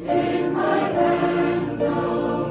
In my hand, no.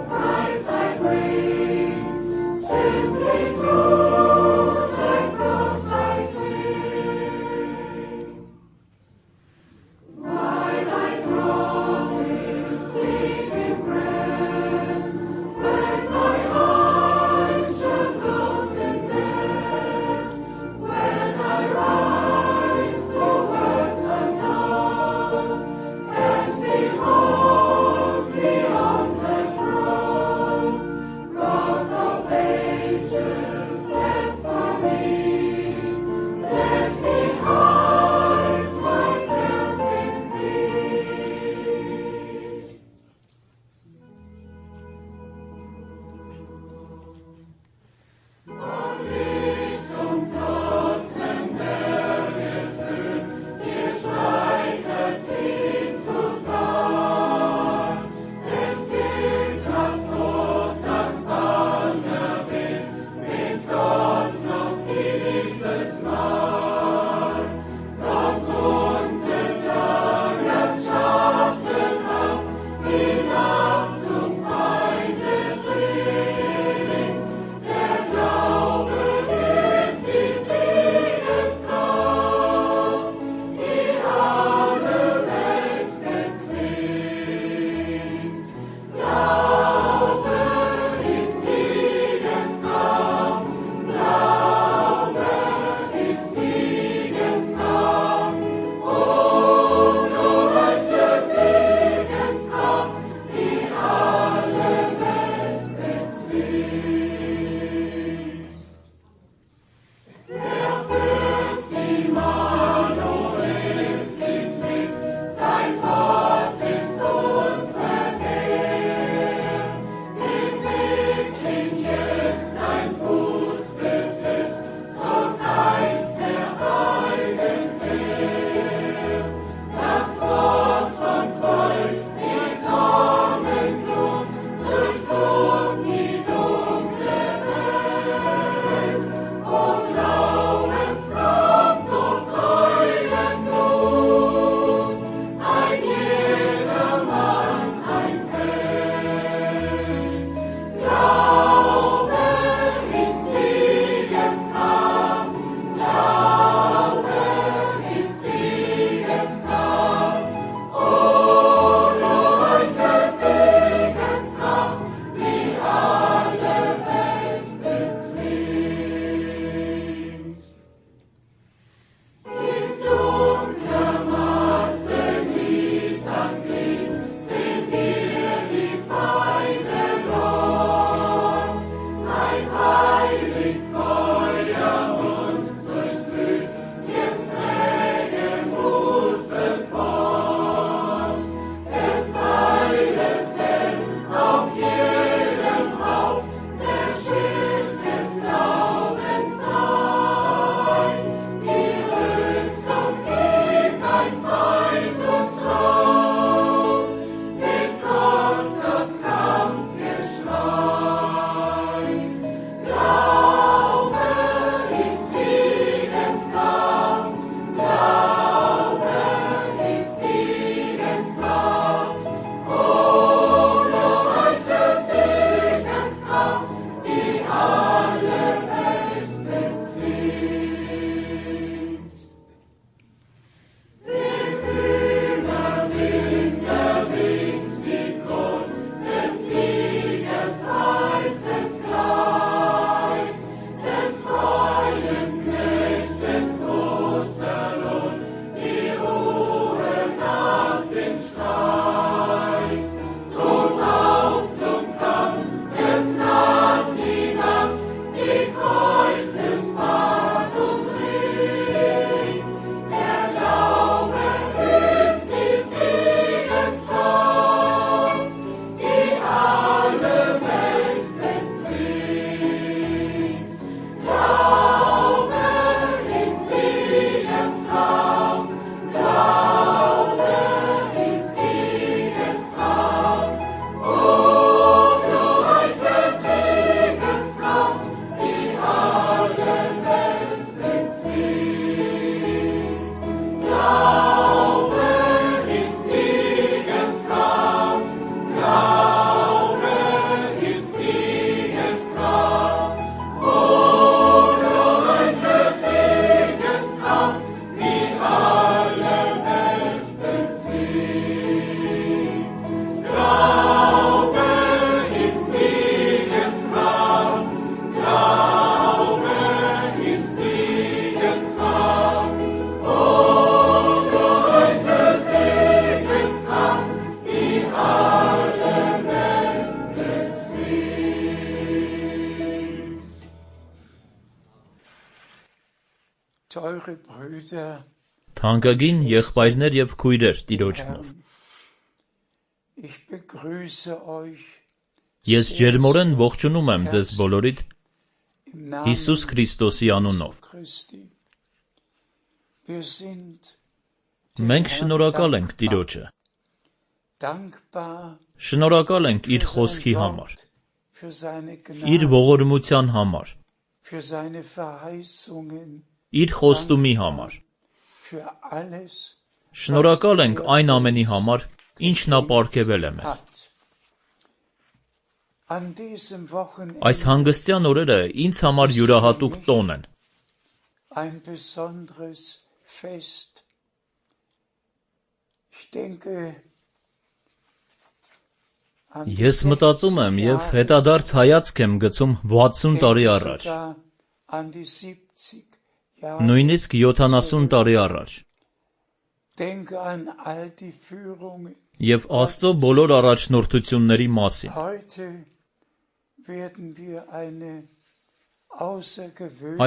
Թանկագին եղբայրներ եւ քույրեր Տիրոջնով, ես ջերմորեն ողջունում եմ ձեզ բոլորիդ Հիսուս Քրիստոսի անունով։ Մենք շնորհակալ ենք Տիրոջը, շնորհակալ ենք իր խոսքի համար, իր ողորմության համար, իր խոստումի համար, շնորհակալ ենք այն ամենի համար, ինչ նա պարգևել է մեզ։ Այս հանգստյան օրերը ինձ համար յուրահատուկ տոն են։ Ես մտածում եմ և հետադարձ հայացք եմ գցում 60 տարի առաջ, նույնիսկ 70 տարի առաջ, և Աստծո բոլոր առաջնորդությունների մասին։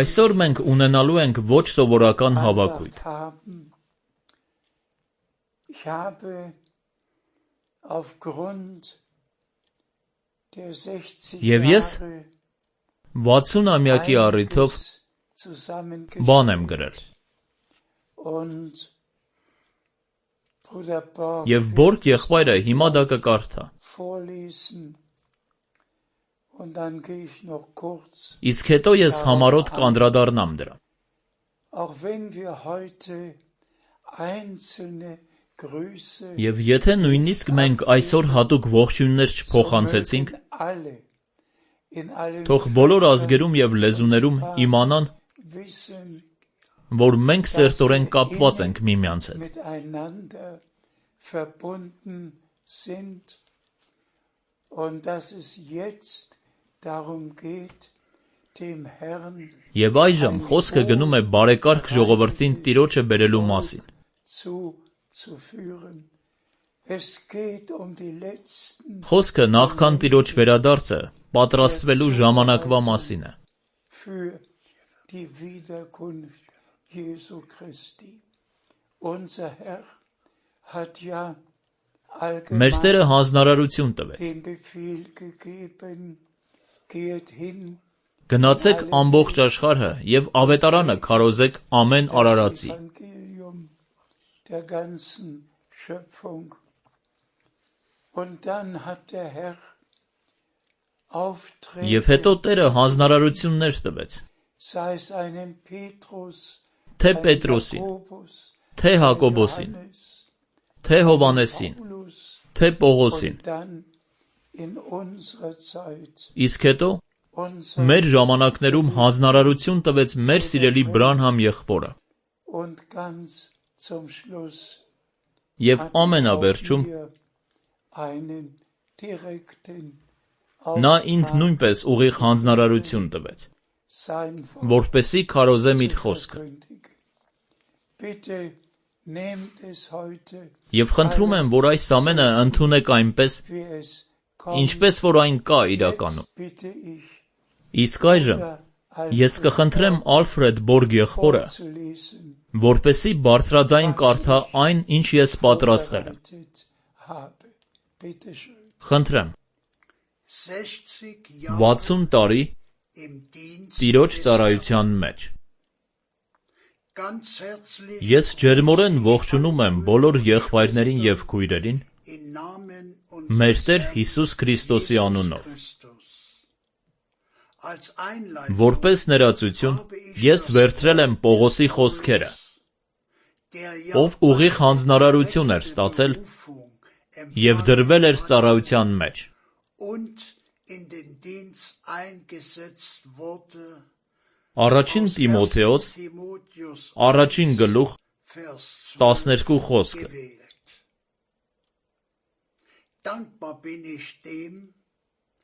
Այսօր մենք ունենալու ենք ոչ սովորական հավաքույթ։ Եվ ես 60-ամյակի առիթով բան եմ գրել։ Եվ Բորգ եղբայրը հիմա դա կկարդա։ Իսկ հետո ես համառոտ կանդրադառնամ դրան։ Եվ եթե նույնիսկ մենք այսօր հատուկ ողջույններ չփոխանցեցինք, թող բոլոր ազգերում և լեզուներում իմանան, որ մենք սերտորեն կապված ենք միմյանց հետ։ Եվ այժմ խոսքը գնում է բարեկարգ ժողովրդին Տիրոջը բերելու մասին։ Խոսքը նախքան Տիրոջ վերադարձը պատրաստվելու ժամանակվա մասին է։ Մեր Տերը հանձնարարություն տվեց. գնացեք ամբողջ աշխարհը և ավետարանը քարոզեք ամեն արարածի։ Եվ հետո Տերը հանձնարարություններ տվեց, թե Պետրոսին, թե Հակոբոսին, թե Հովհաննեսին, թե Պողոսին, իսկ հետո մեր ժամանակներում հանձնարարություն տվեց մեր սիրելի Բրանհամ եղբորը։ Եվ ամենավերջում նա ինձ նույնպես ուղիղ հանձնարարություն տվեց, որպեսզի քարոզեմ իր խոսքը։ Եվ խնդրում եմ, որ այս ամենը ընդունեք այնպես, ինչպես որ այն կա իրականում։ Իսկ այժմ ես կխնդրեմ Ալֆրեդ Բորգ եղբորը, որպեսզի բարձրաձայն կարդա այն, ինչ ես պատրաստել եմ։ Խնդրեմ։ 60 տարի Տիրոջ ծառայության մեջ։ Ես ջերմորեն ողջունում եմ բոլոր եղբայրներին և քույրերին մեր Տեր Հիսուս Քրիստոսի անունով։ Որպես ներածություն ես վերցրել եմ Պողոսի խոսքերը, ով ուղիղ հանձնարարություն էր ստացել և դրվել էր ծառայության մեջ։ Առաջին Տիմոթեոս, առաջին գլուխ, 12 խոսքը։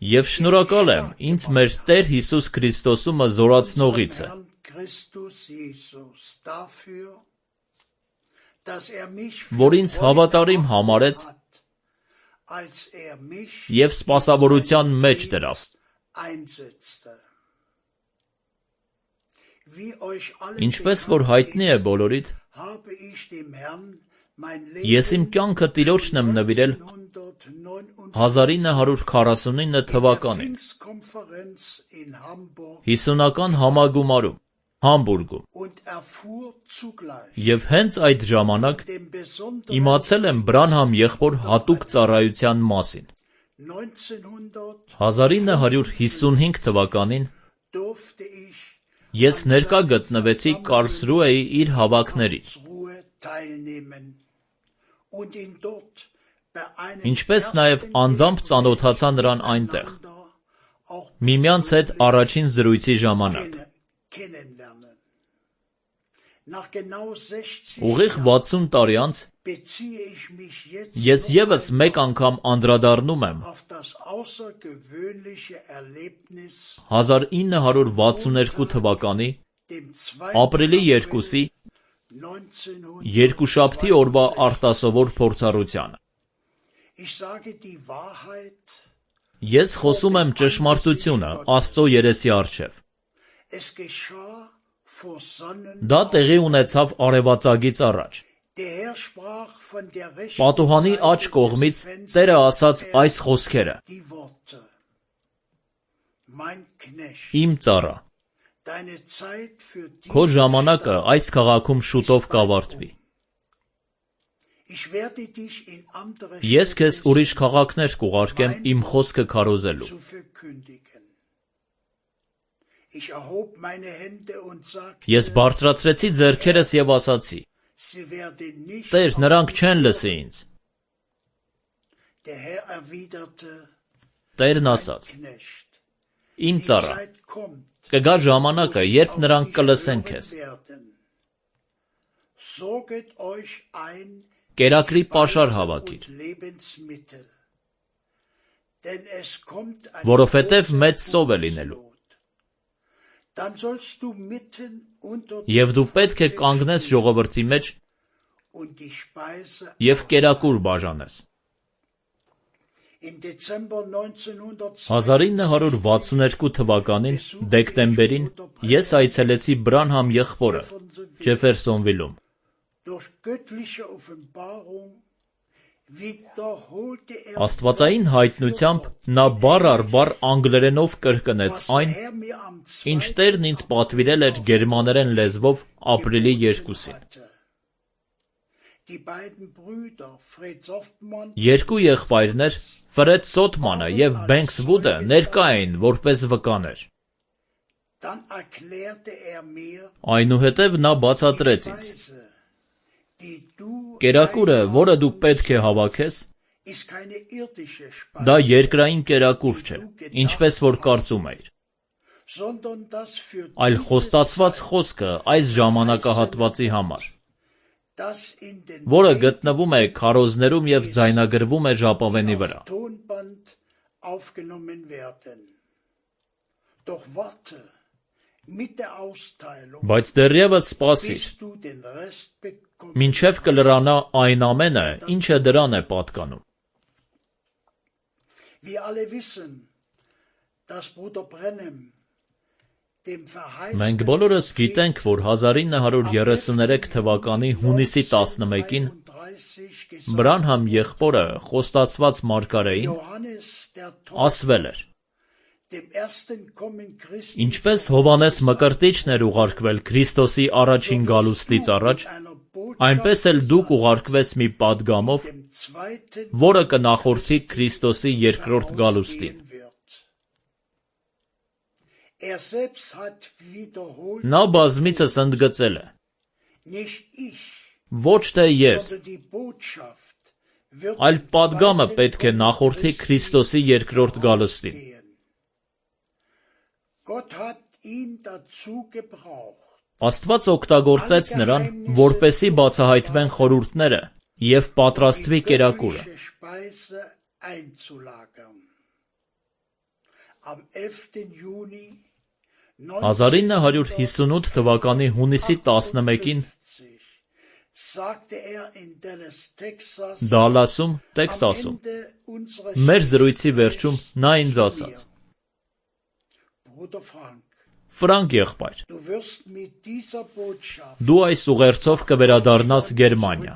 Եվ շնորհակալ եմ ինձ մեր Տեր Հիսուս Քրիստոսումը զորացնողիցը, որ ինձ հավատարիմ համարեց և սպասավորության մեջ դրավ։ Ինչպես որ հայտնի է բոլորիդ, ես իմ կյանքը Տիրոջն եմ նվիրել 1949 թվականին 50-ական համագումարում Համբուրգում և հենց այդ ժամանակ իմացել եմ Բրանհամ եղբոր հատուկ ծառայության մասին։ 1955 թվականին ես ներկա գտնվեցի Կարլսրուեի իր հավաքներին, ինչպես նաև անձամբ ծանոթացա նրան այնտեղ, միմյանց հետ առաջին զրույցի ժամանակ։ Ուղիղ 60 տարի անց ես ևս մեկ անգամ անդրադառնում եմ 1962 թվականի ապրիլի 2-ի երկուշաբթի օրվա արտասովոր փորձառությանը։ Ես խոսում եմ ճշմարտությունը Աստծո երեսի առջև։ Դա տեղի ունեցավ արևածագից առաջ։ Պատուհանի աջ կողմից Տերը ասաց այս խոսքերը. «Իմ ծառա, քո ժամանակը այս քաղաքում շուտով կավարտվի։ Ես քեզ ուրիշ քաղաքներ կուղարկեմ իմ խոսքը քարոզելու»։ Ես բարձրացրեցի ձեռքերս և ասացի. «Տեր, նրանք չեն լսի ինձ»։ Տերն ասաց. «Իմ ծառա, կգա ժամանակը, երբ նրանք կլսեն քեզ։ Կերակրի պաշար հավաքիր, որովհետև մեծ սով է լինելու։ Եվ դու պետք է կանգնես ժողովրդի մեջ և կերակուր բաժանես»։ 1962 թվականին դեկտեմբերին ես այցելեցի Բրանհամ եղբորը Ջեֆերսոնվիլում։ Աստվածային հայտնությամբ նա բառ առ բառ անգլերենով կրկնեց այն, ինչ Տերն ինձ պատվիրել էր գերմաներեն լեզվով ապրիլի 2-ին։ Երկու եղբայրներ, Ֆրեդ Սոթմանը և Բենքս Վուդը ներկա էին որպես վկաներ։ Այնուհետև նա բացատրեց ինձ. «Կերակուրը, որը դու պետք է հավաքես, դա երկրային կերակուր չէ, ինչպես որ կարծում էիր, այլ խոստացված խոսքը այս ժամանակահատվածի համար, որը գտնվում է քարոզներում և ձայնագրվում է ժապավենի վրա։ Բայց դեռևս սպասիր, մինչև կլրանա այն ամենը, ինչը դրան է պատկանում»։ Մենք բոլորս գիտենք, որ 1933 թվականի հունիսի 11-ին Բրանհամ եղբորը խոստացված մարգարեին ասվել էր. «Ինչպես Հովհաննես Մկրտիչն էր ուղարկվել Քրիստոսի առաջին գալուստից առաջ, այնպես էլ դուք ուղարկվես մի պատգամով, որը կնախորդի Քրիստոսի երկրորդ գալուստին»։ Նա բազմիցս ընդգծել է. «Ոչ թե ես, այլ պատգամը պետք է նախորդի Քրիստոսի երկրորդ գալուստին»։ Աստված օգտագործեց նրան, որպեսզի բացահայտվեն խորհուրդները և պատրաստվի կերակուրը։ 1958 թվականի հունիսի 11-ին Դալասում, Տեքսասում, մեր զրույցի վերջում նա ինձ ասաց. Ֆրանկ եղբայր, դու այս ուղերձով կվերադառնաս Գերմանիա։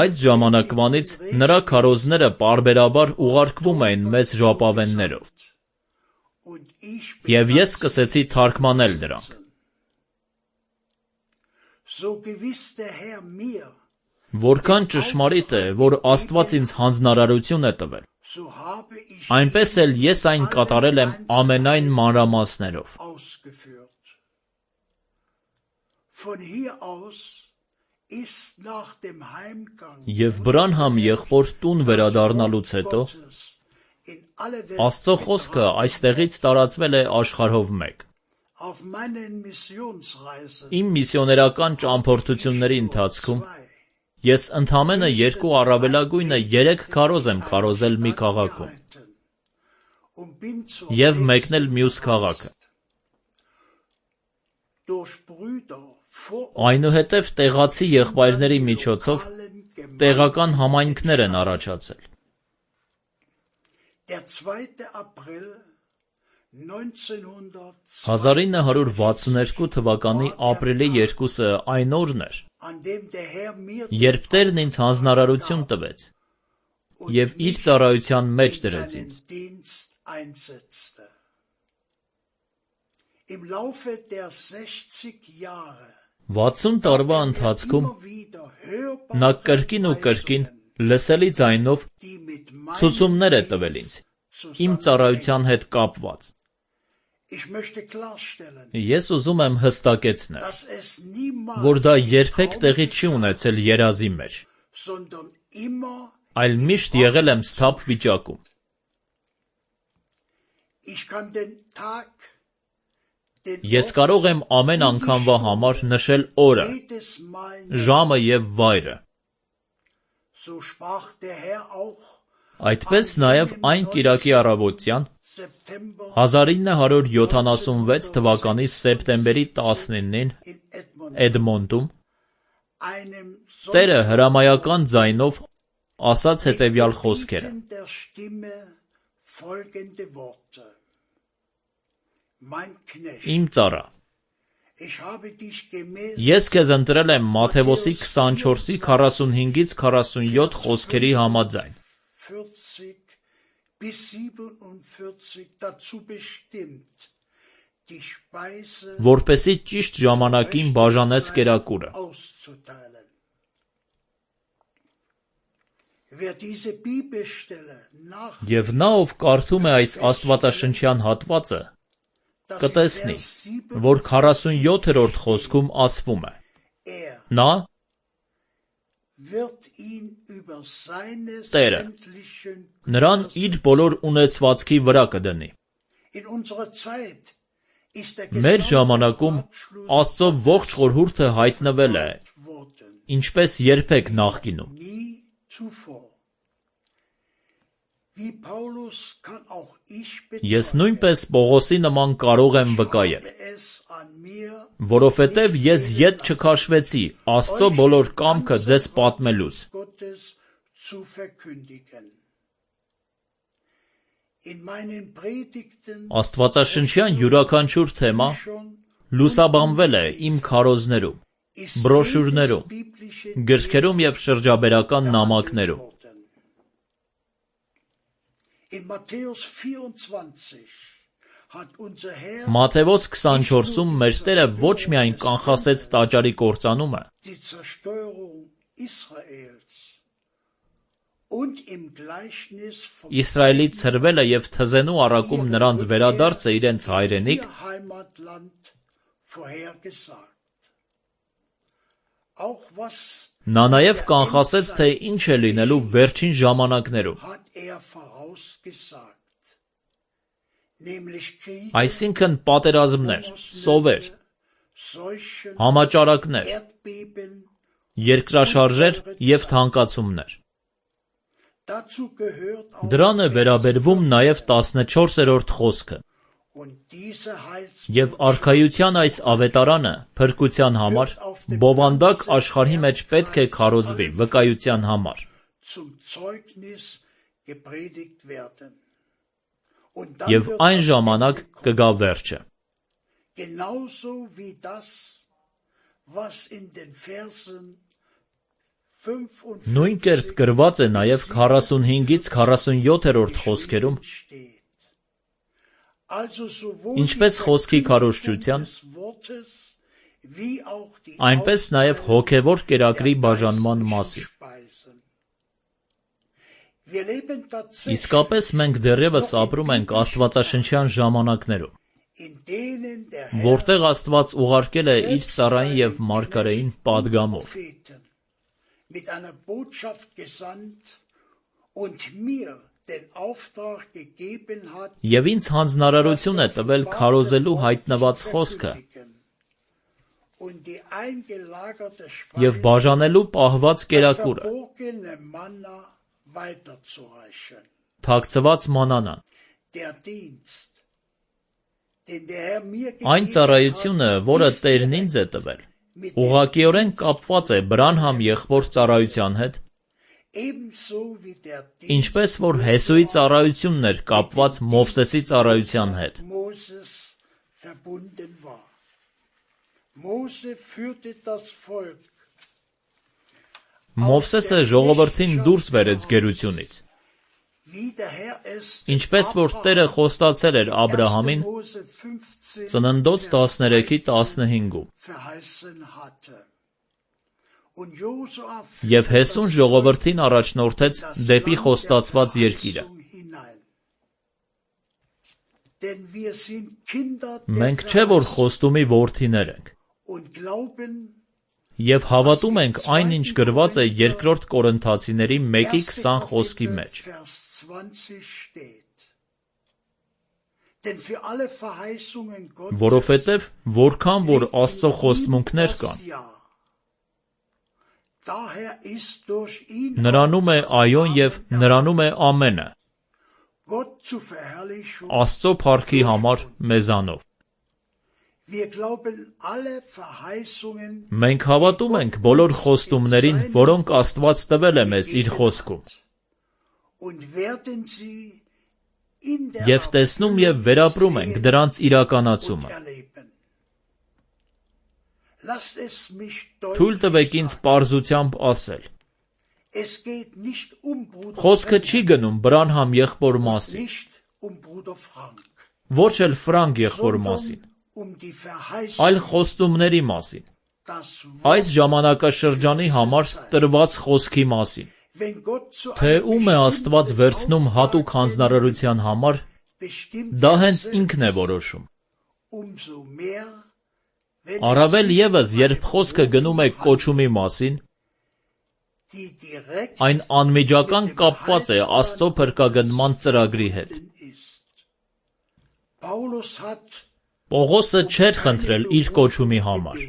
Այդ ժամանակվանից նրա քարոզները պարբերաբար ուղարկվում էին մեծ ժապավեններով, և ես սկսեցի թարգմանել դրանք։ Որքան ճշմարիտ է, որ Աստված ինձ հանձնարարություն է տվել, այնպես էլ ես այն կատարել եմ ամենայն մանրամասներով։ Եվ Բրանհամ եղբոր տուն վերադառնալուց հետո, Աստծո խոսքը այստեղից տարածվել է աշխարհով մեկ։ Իմ միսիոներական ճամփորդությունների ընթացքում ես ընդամենը 2 առավելագույնը 3 քարոզ եմ քարոզել մի քաղաքում և մեկնել մյուս քաղաքը։ Այնուհետև տեղացի եղբայրների միջոցով տեղական համայնքներ են առաջացել։ 1962 թվականի ապրիլի 2-ը այն օրն էր, երբ Տերն ինձ հանձնարարություն տվեց և իր ծառայության մեջ դրեց ինձ։ 60 տարվա ընթացքում նա կրկին ու կրկին լսելի ձայնով ցուցումներ է տվել ինձ, իմ ծառայության հետ կապված։ Ես ուզում եմ հստակեցնել, որ դա երբեք տեղի չի ունեցել երազի մեջ, այլ միշտ եղել եմ սթափ վիճակում։ Ես կարող եմ ամեն անգամվա համար նշել օրը, ժամը և վայրը։ Այդպես նաև այն կիրակի առավոտյան 1976 թվականի սեպտեմբերի 19-ին Էդմոնտում Տերը հրամայական ձայնով ասաց հետևյալ խոսքերը. Իմ ծառա, ես քեզ ընտրել եմ Մատթեոսի 24-ի 45-ից 47 խոսքերի համաձայն, որպեսզի ճիշտ ժամանակին բաժանես կերակուրը։ Եվ նա, ով կարդում է այս աստվածաշնչյան հատվածը, կտեսնի, որ 47-րդ խոսքում ասվում է. նա Տերը նրան իր բոլոր ունեցվածքի վրա կդնի։ Մեր ժամանակում Աստծո ողջ խորհուրդը հայտնվել է, ինչպես երբեք նախկինում։ Ես նույնպես Պողոսի նման կարող եմ վկայել, որովհետև ես ետ չքաշվեցի Աստծո բոլոր կամքը ձեզ պատմելուց։ Աստվածաշնչյան յուրաքանչյուր թեմա լուսաբանվել է իմ քարոզներում, բրոշյուրներում, գրքերում և շրջաբերական նամակներում։ Մատթեոս 24-ում մեր Տերը ոչ միայն կանխասեց տաճարի կործանումը, Իսրայելի ցրվելը և թզենու առակում նրանց վերադարձը իրենց հայրենիք, նա նաև կանխասեց, թե ինչ է լինելու վերջին ժամանակներում, այսինքն պատերազմներ, սովեր, համաճարակներ, երկրաշարժեր և թանկացումներ։ Դրան է վերաբերվում նաև 14-րդ խոսքը։ Եվ արքայության այս ավետարանը փրկության համար բովանդակ աշխարհի մեջ պետք է քարոզվի վկայության համար, Եվ այն ժամանակ կգա վերջը։ Նույն կերպ գրված է նաև 45-ից 47-րդ խոսքերում, ինչպես խոսքի քարոզչության, այնպես նաև հոգևոր կերակրի բաժանման մասին։ Իսկապես մենք դեռևս ապրում ենք աստվածաշնչյան ժամանակներում, որտեղ Աստված ուղարկել է իր ծառային և մարգարեին պատգամով։ Եվ ինձ հանձնարարություն է տվել քարոզելու հայտնված խոսքը և բաժանելու պահված կերակուրը, թաքցված մանանան։ Այն ծառայությունը, որը Տերն ինձ է տվել, ուղղակիորեն կապված է Բրանհամ եղբոր ծառայության հետ, ինչպես որ Հեսուի ծառայությունն էր կապված Մովսեսի ծառայության հետ։ Մովսեսը ժողովրդին դուրս բերեց գերությունից, ինչպես որ Տերը խոստացել էր Աբրահամին Ծննդոց 13:15-ում։ Եվ Հեսուն ժողովրդին առաջնորդեց դեպի խոստացված երկիրը։ Մենք չէ որ խոստումի որդիներ ենք, և հավատում ենք այն, ինչ գրված է 2 Կորինթացիների 1:20 խոսքի մեջ։ Որովհետև որքան որ Աստծո խոստմունքներ կան, նրանում է այոն և նրանում է ամենը, Աստծո փառքի համար մեզանով։ Մենք հավատում ենք բոլոր խոստումներին, որոնք Աստված տվել է մեզ իր խոսքում, և տեսնում և վերապրում ենք դրանց իրականացումը։ Թույլ տվեք ինձ պարզությամբ ասել. Խոսքը չի գնում Բրանհամ եղբոր մասին, ոչ էլ Ֆրանկ եղբոր մասին, այլ խոստումների մասին, այս ժամանակաշրջանի համար տրված խոսքի մասին, թե ում է Աստված վերցնում հատուկ հանձնարարության համար, դա հենց ինքն է որոշում։ Առավել ևս, երբ խոսքը գնում է կոչումի մասին, այն անմիջական կապված է Աստծո փրկագնման ծրագրի հետ։ Պողոսը չէր խնդրել իր կոչումի համար։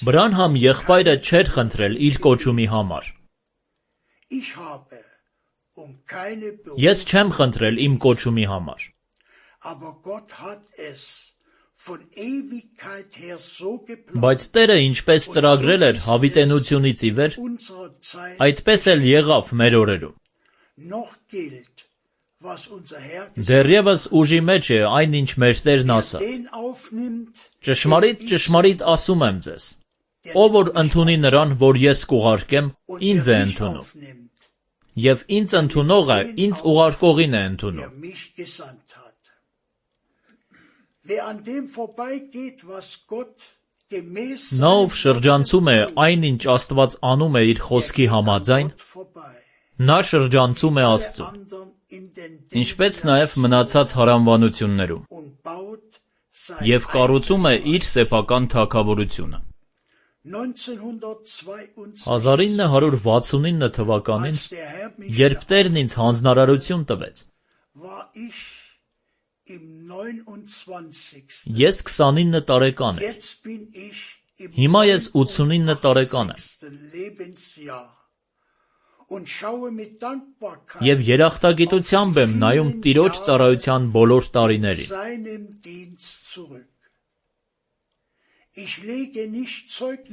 Բրանհամ եղբայրը չէր խնդրել իր կոչումի համար։ Ես չեմ խնդրել իմ կոչումի համար։ Բայց Տերը ինչպես ծրագրել էր հավիտենությունից ի վեր, այդպես էլ եղավ մեր օրերում։ Դեռևս ուժի մեջ է այն, ինչ մեր Տերն ասաց. ճշմարիտ, ճշմարիտ ասում եմ ձեզ, ով որ ընդունի նրան, որ ես կուղարկեմ, ինձ է ընդունում, և ինձ ընդունողը ինձ ուղարկողին է ընդունում։ Նա, ով շրջանցում է այն, ինչ Աստված անում է իր խոսքի համաձայն, նա շրջանցում է Աստծուն, ինչպես նաև մնացած հարանվանություններում, և կառուցում է իր սեփական թագավորությունը։ 1969 թվականին, երբ Տերն ինձ հանձնարարություն տվեց, ես 29 տարեկան եմ, հիմա ես 89 տարեկան եմ, և երախտագիտությամբ եմ նայում Տիրոջ ծառայության բոլոր տարիներին։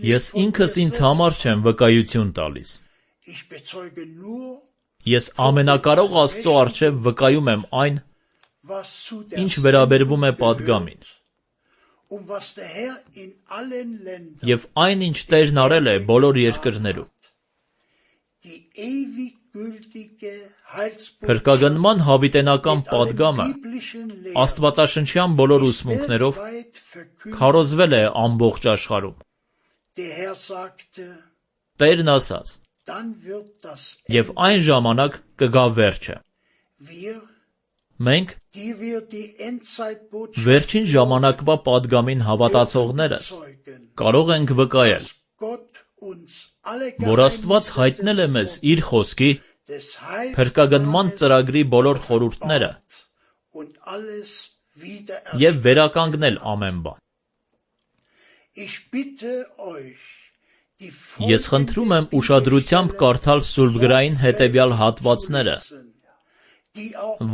Ես ինքս ինձ համար չեմ վկայություն տալիս, Ես ամենակարող Աստծո առջև վկայում եմ այն, ինչ վերաբերվում է պատգամին, և այն, ինչ Տերն արել է բոլոր երկրներում։ Փրկագնման հավիտենական պատգամը աստվածաշնչյան բոլոր ուսմունքներով քարոզվել է ամբողջ աշխարհում։ Տերն ասաց. «Եվ այն ժամանակ կգա վերջը»։ Մենք, վերջին ժամանակվա պատգամին հավատացողներս, կարող ենք վկայել, որ Աստված հայտնել է մեզ իր խոսքի փրկագնման ծրագրի բոլոր խորհուրդները և վերականգնել ամեն բան։ Ես խնդրում եմ ուշադրությամբ կարդալ սուրբգրային հետևյալ հատվածները,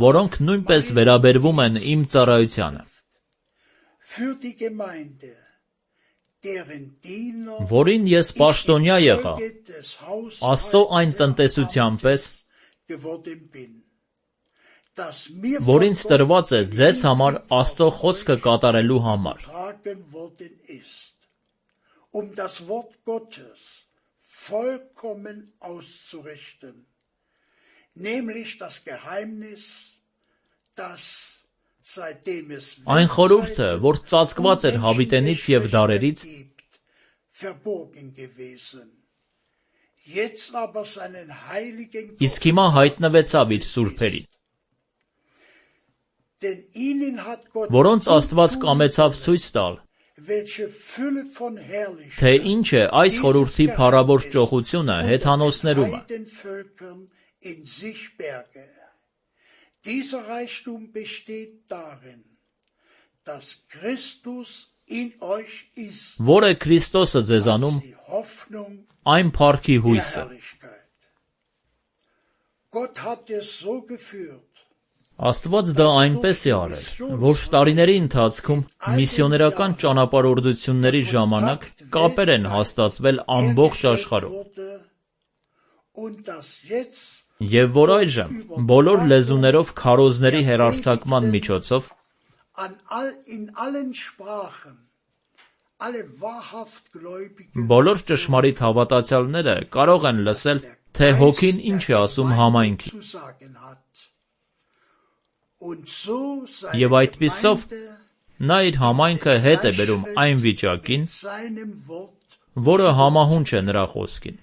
որոնք նույնպես վերաբերվում են իմ ծառայությանը, որին ես պաշտոնյա եղա Աստծո այն տնտեսության պես, որ ինձ տրված է ձեզ համար Աստծո խոսքը կատարելու համար, das Wort Gottes vollkommen auszurichten, nämlich das Geheimnis, das seitdem es այն խորհուրդը, որ ծածկված էր հավիտենից և դարերից, verborgen gewesen. Jetzt aber seinen heiligen իսկ հիմա հայտնվեցավ իր սուրբերին, denn ihnen hat Gott որոնց Աստված կամեցավ ցույց տալ, թե ինչ է այս խորհրդի փառավոր ճոխությունը հեթանոսներումը։ Որ է Քրիստոսը ձեզանում, այն փառքի հույսը։ Աստված դա այնպես է արել, որ տարիների ընթացքում միսիոներական ճանապարհորդությունների ժամանակ կապեր են հաստատվել ամբողջ աշխարհում, և որ այժմ բոլոր լեզուներով քարոզների հեռարձակման միջոցով բոլոր ճշմարիտ հավատացյալները կարող են լսել, թե Հոգին ինչ է ասում համայնքին։ Եվ այդպիսով նա իր համայնքը հետ է բերում այն վիճակին, որը համահունչ է նրա խոսքին,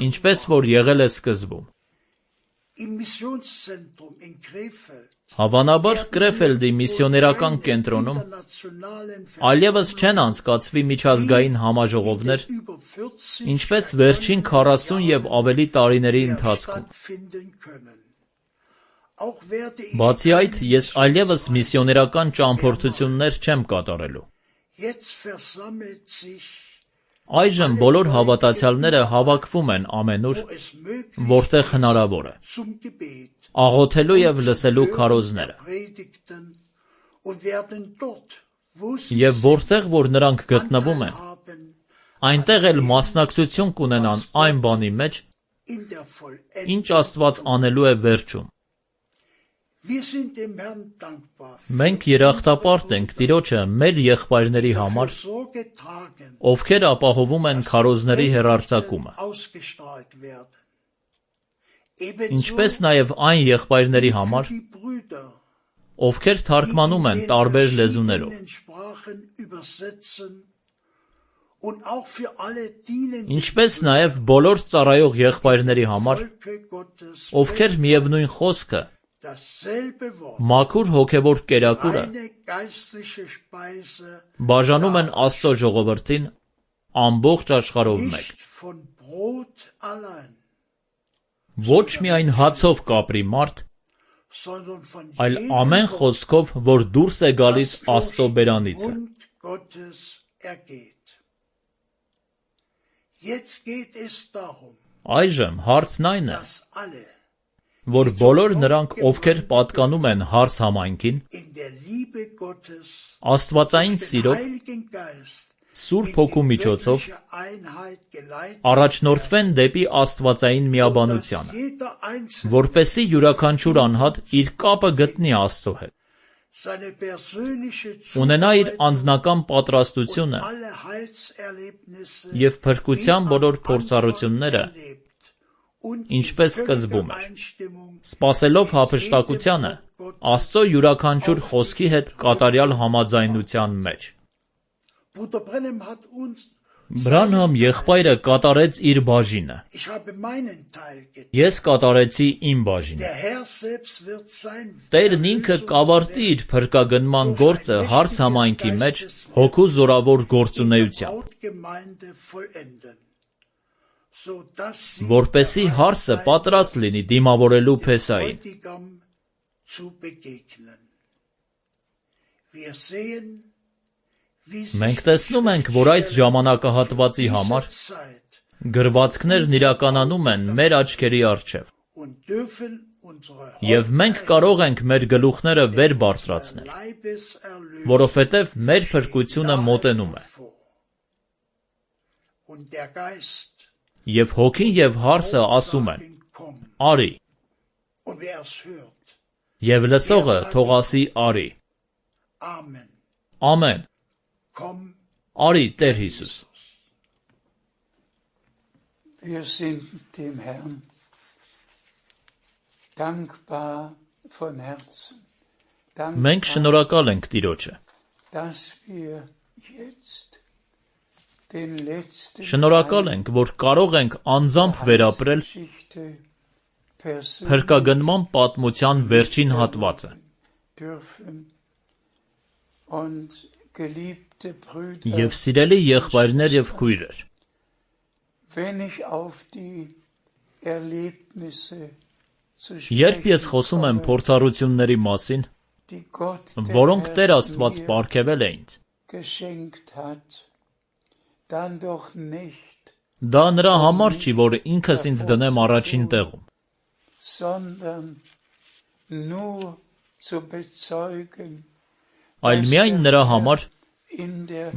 ինչպես որ եղել է սկզբում։ Հավանաբար Կրեֆելդի միսիոներական կենտրոնում այլևս չեն անցկացվի միջազգային համաժողովներ, ինչպես վերջին 40 և ավելի տարիների ընթացքում։ Բացի այդ, ես այլևս միսիոներական ճամփորդություններ չեմ կատարելու։ Այժմ բոլոր հավատացյալները հավաքվում են ամենուր, որտեղ հնարավոր է, աղոթելու և լսելու քարոզները։ Եվ որտեղ որ նրանք գտնվում են, այնտեղ էլ մասնակցություն կունենան այն բանի մեջ, ինչ Աստված անելու է վերջում։ Մենք երախտապարտ ենք Տիրոջը մեր եղբայրների համար, ովքեր ապահովում են քարոզների հեռարձակումը, ինչպես նաև այն եղբայրների համար, ովքեր թարգմանում են տարբեր լեզուներով, ինչպես նաև բոլոր ծառայող եղբայրների համար, ովքեր միևնույն խոսքը, մաքուր հոգևոր կերակուրը բաժանում են Աստծո ժողովրդին ամբողջ աշխարհով մեկ։ Ոչ միայն հացով կապրի մարդ, այլ ամեն խոսքով, որ դուրս է գալիս Աստծո բերանիցը։ Այժմ հարցն այն է, որ բոլոր նրանք, ովքեր պատկանում են հարս համայնքին, աստվածային սիրով Սուրբ Հոգու միջոցով առաջնորդվեն դեպի աստվածային միաբանությանը, որպեսզի յուրաքանչյուր անհատ իր կապը գտնի Աստծո հետ, ունենա իր անձնական պատրաստությունը և փրկության բոլոր փորձառությունները, ինչպես սկզբում էր, սպասելով հափշտակությանը Աստծո յուրաքանչյուր խոսքի հետ կատարյալ համաձայնության մեջ։ Բրանհամ եղբայրը կատարեց իր բաժինը, ես կատարեցի իմ բաժինը։ Տերն ինքը կավարտի իր փրկագնման գործը հարս համայնքի մեջ Հոգու զորավոր գործունեությամբ, որպեսզի հարսը պատրաստ լինի դիմավորելու փեսային։ Մենք տեսնում ենք, որ այս ժամանակահատվածի համար գրվածքներն իրականանում են մեր աչքերի առջև, և մենք կարող ենք մեր գլուխները վեր բարձրացնել, որովհետև մեր փրկությունը մոտենում է։ Եվ Հոգին և հարսը ասում են. «Արի», և լսողը թող ասի «Արի»։ Ամեն։ Արի, Տեր Հիսուս։ Wir sind dem Herrn dankbar von Herzen. Մենք շնորհակալ ենք Տիրոջը, շնորհակալ ենք, որ կարող ենք անձամբ վերապրել փրկագնման պատմության վերջին հատվածը և սիրելի եղբայրներ և քույրեր, երբ ես խոսում եմ փորձառությունների մասին, որոնք Տեր Աստված պարգևել է ինձ, դա նրա համար չի, որ ինքս ինձ դնեմ առաջին տեղում, այլ միայն նրա համար,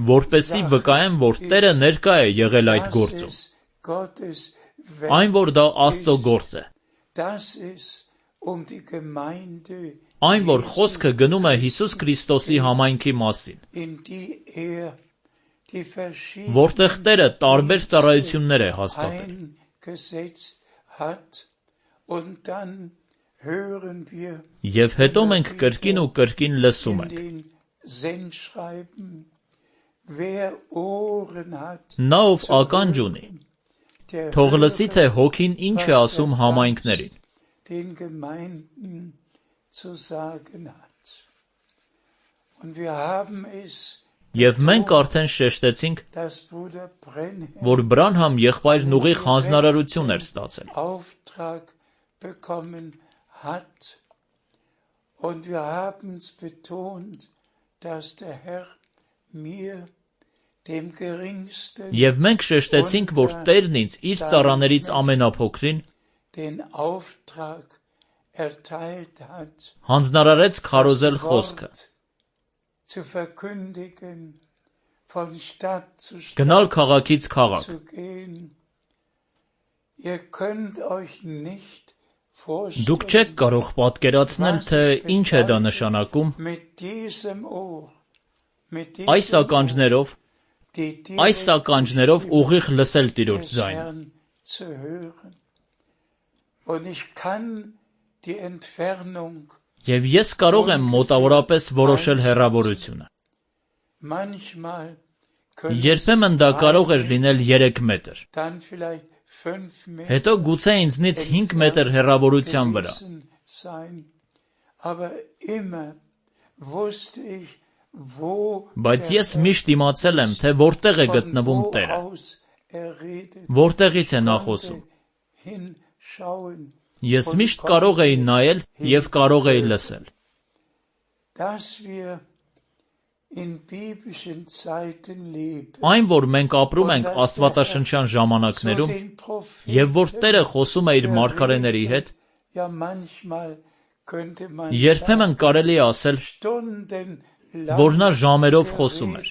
որպեսզի վկայեմ, որ Տերը ներկա է եղել այդ գործում, այն, որ դա Աստծո գործ է, այն, որ խոսքը գնում է Հիսուս Քրիստոսի համայնքի մասին, որտեղ Տերը տարբեր ծառայություններ է հաստատել։ Եվ հետո մենք կրկին ու կրկին լսում ենք. Նա, ով ականջ ունի, թող լսի, թե Հոգին ինչ է ասում համայնքներին։ Եվ մենք արդեն շեշտեցինք, որ Բրանհամ եղբայրն ուղիղ հանձնարարություն էր ստացել։ Եվ մենք շեշտեցինք, որ Տերն ինձ իր ծառաներից ամենափոքրին հանձնարարեց քարոզել խոսքը, գնալ քաղաքից քաղաք։ Դուք չեք կարող պատկերացնել, թե ինչ է դա նշանակում այս ականջներով ուղիղ լսել Տիրոջ ձայնը։ Եվ ես կարող եմ մոտավորապես որոշել հեռավորությունը։ Երբեմն դա կարող էր լինել 3 մետր, հետո գուցե ինձնից 5 մետր հեռավորության վրա։ Բայց ես միշտ իմացել եմ, թե որտեղ է գտնվում Տերը, որտեղից է նա խոսում։ Ես միշտ կարող էի նայել և կարող էի լսել։ Այն, որ մենք ապրում ենք աստվածաշնչյան ժամանակներում, և որ Տերը խոսում է իր մարգարեների հետ, երբեմն կարելի է ասել, որ նա ժամերով խոսում էր։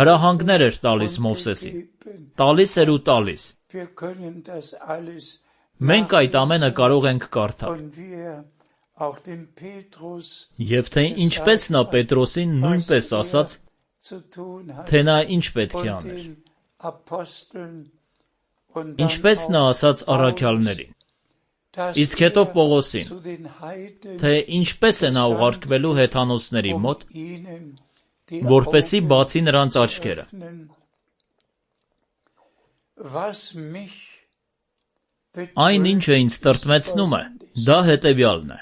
Հրահանգներ էր տալիս Մովսեսին, տալիս էր ու տալիս։ Մենք այդ ամենը կարող ենք կարդալ։ Եվ թե ինչպես նա Պետրոսին նույնպես ասաց, թե նա ինչ պետք է աներ։ Ինչպես նա ասաց առաքյալներին։ Իսկ հետո Պողոսին, թե ինչպես է նա ուղարկվելու հեթանոսների մոտ, որպեսզի բացի նրանց աչքերը։ Այն ինչը ինձ տրտմեցնում է, դա հետևյալն է։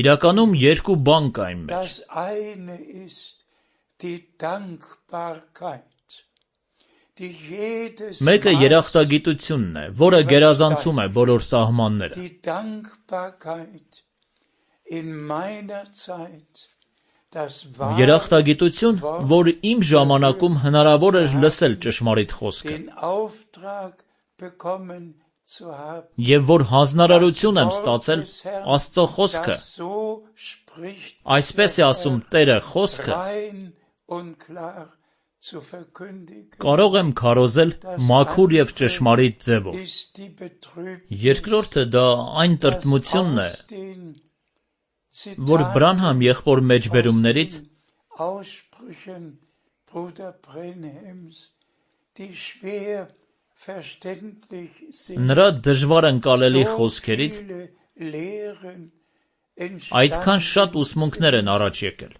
Իրականում երկու բան կա իմ մեջ։ Մեկը երախտագիտությունն է, որը գերազանցում է բոլոր սահմանները։ Երախտագիտություն, որ իմ ժամանակում հնարավոր էր լսել ճշմարիտ խոսքը, եւ որ հանձնարարություն եմ ստացել Աստծո խոսքը, այսպես է ասում Տերը խոսքը, կարող եմ քարոզել մաքուր եւ ճշմարիտ ձևով։ Երկրորդը դա այն տրտմությունն է, որ Բրանհամ եղբոր մեջբերումներից նրա դժվար ընկալելի խոսքերից այդքան շատ ուսմունքներ են առաջ եկել։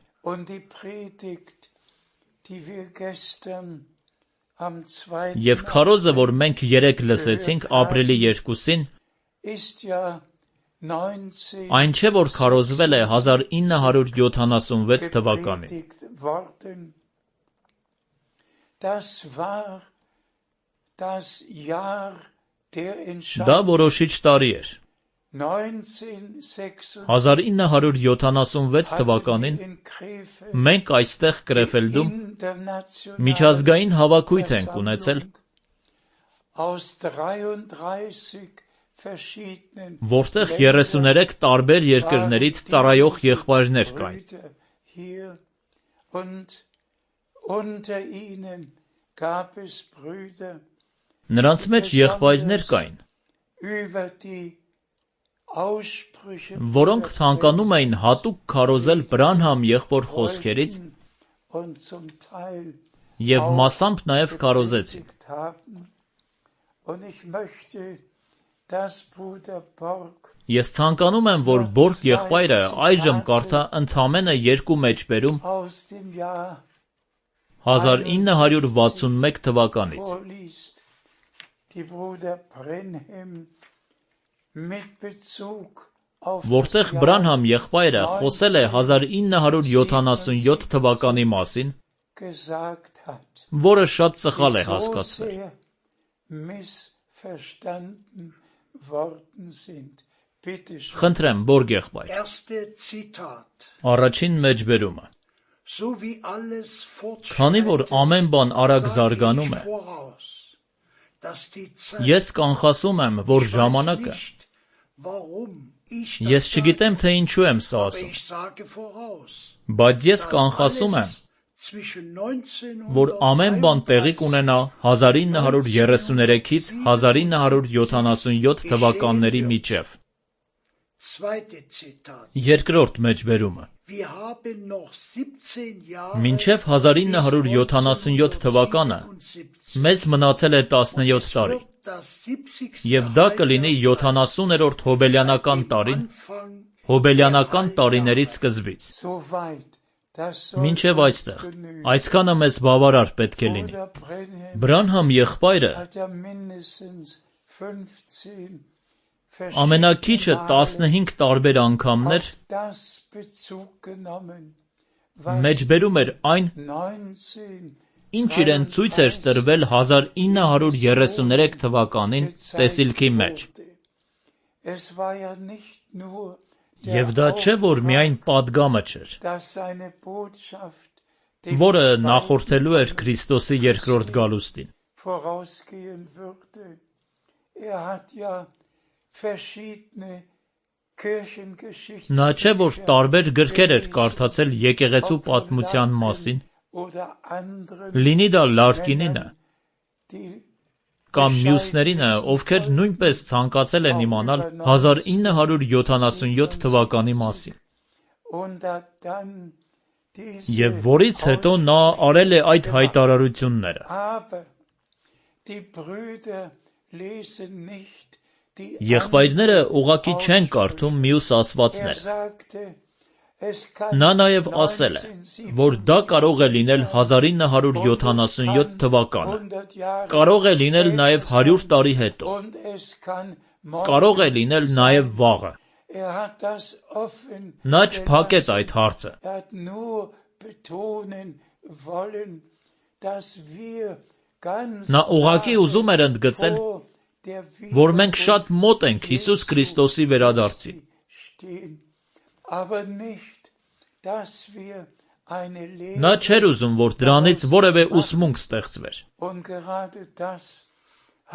Եվ քարոզը, որ մենք երեկ լսեցինք ապրիլի 2-ին, այն չէ, որ քարոզվել է 1976 թվականին։ Դա որոշիչ տարի էր։ 1976 թվականին մենք այստեղ Կրեֆելդում միջազգային հավաքույթ ենք ունեցել, որտեղ 33 տարբեր երկրներից ծառայող եղբայրներ կային։ Նրանց մեջ եղբայրներ կային, որոնք ցանկանում էին հատուկ քարոզել Բրանհամ եղբոր խոսքերից եւ մասամբ նաեւ քարոզեցին։ Ես ցանկանում եմ, որ Բորգ եղբայրը այժմ կարդա ընդամենը երկու մեջբերում 1961 թվականից։ Որտեղ Բրանհամ եղբայրը խոսել է 1977 թվականի մասին, որը շատ սխալ է հասկացվել։ Խնդրեմ, Բորգ եղբայր։ Առաջին մեջբերումը։ Քանի որ ամեն բան արագ զարգանում է, ես կանխասում եմ, որ ժամանակը, ես չգիտեմ, թե ինչու եմ սա ասում, բայց ես կանխասում եմ, որ ամեն բան տեղի կունենա 1933-ից 1977 թվականների միջև։ Երկրորդ մեջբերումը։ Մինչև 1977 թվականը մեզ մնացել է 17 տարի, եւ դա կլինի 70-րդ հոբելյանական տարին, հոբելյանական տարիների սկզբից։ Մինչև այստեղ, այսքանը մեզ բավարար պետք է լինի։ Բրանհամ եղբայրը ամենակիչը 15 տարբեր անգամներ մեջբերում էր այն, ինչ իրեն ցույց էր տրվել 1933 թվականին տեսիլքի մեջ։ Եվ դա չէ, որ միայն պատգամը չէր, որը նախորդելու էր Քրիստոսի երկրորդ գալուստին։ Kirchengeschichte Նա չէ, որ տարբեր գրքեր էր կարդացել եկեղեցու պատմության մասին, oder anderen, լինի դա Լարկինինը die կամ մյուսներինը, ովքեր նույնպես ցանկացել են իմանալ 1977 թվականի մասին, und hat dann diese եւ որից հետո նա արել է այդ հայտարարությունները։ aber die Brüder lesen nicht die Եղբայրները ուղղակի չեն կարդում մյուս ասվածները։ sagte, es kann Նա նաև ասել է, որ դա կարող է լինել 1977 թվականը, 100 Jahre կարող է լինել նաև 100 տարի հետո, und es kann morgen. կարող է լինել նաև վաղը։ Hat das offen Նա չփակեց այդ հարցը։ hat nur betonen wollen, dass wir ganz Նա ուղղակի ուզում էր ընդգծել, vor der որ մենք շատ մոտ ենք Հիսուս Քրիստոսի վերադարձին, stehen, aber nicht, dass wir eine Lehre նա չէր ուզում, որ դրանից որևէ ուսմունք ստեղծվեր։ und gerade das